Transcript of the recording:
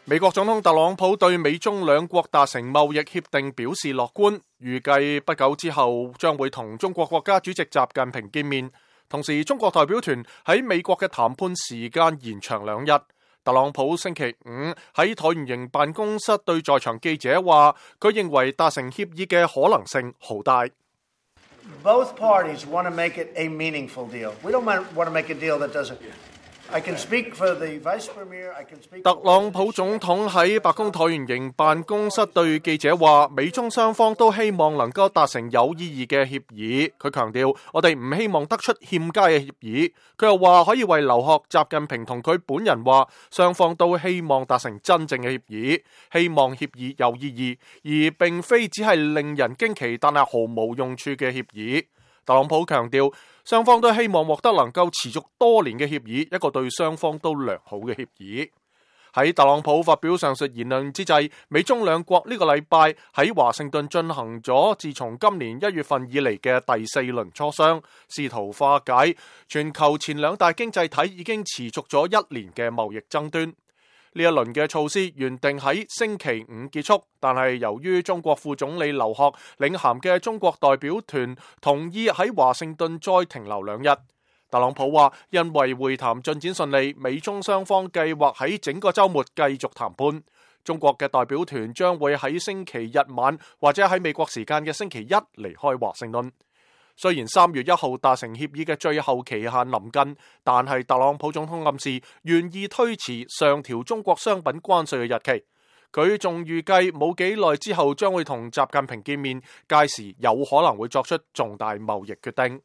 美國總統特朗普對美中兩國達成貿易協定表示樂觀，預計不久之後將會同中國國家主席習近平見面。同時，中國代表團喺美國嘅談判時間延長2日。特朗普星期五喺橢圓形辦公室對在場記者話，佢認為達成協議嘅可能性好大。Both parties want to make it a meaningful deal. We don't want to make a deal that doesn't. I can speak for the Vice Premier. I can speak. 特朗普總統喺白宮橢圓形辦公室對記者話，美中雙方都希望能夠達成有意義嘅協議。佢強調，我哋唔希望得出欠佳嘅協議。佢又話可以為留學習近平同佢本人話，雙方都希望達成真正嘅協議，希望協議有意義，而並非只係令人驚奇但係毫無用處嘅協議。特朗普強調，雙方都希望獲得能夠持續多年嘅協議，一個對雙方都良好嘅協議。喺特朗普發表上述言論之際，美中兩國呢個禮拜喺華盛頓進行咗自從今年1月份以嚟嘅第4輪磋商，試圖化解全球前兩大經濟體已經持續咗1年嘅貿易爭端。呢一輪嘅措施原定喺星期5結束，但係由於中國副總理劉鶴領銜嘅中國代表團同意喺華盛頓再停留2日。特朗普話，因為會談進展順利，美中雙方計劃喺整個週末繼續談判。中國嘅代表團將會喺星期日晚或者喺美國時間嘅星期一離開華盛頓。雖然3月1號達成協議嘅最後期限臨近，但係特朗普總統暗示願意推遲上調中國商品關稅嘅日期。佢仲預計冇幾耐之後將會同習近平見面，屆時有可能會作出重大貿易決定。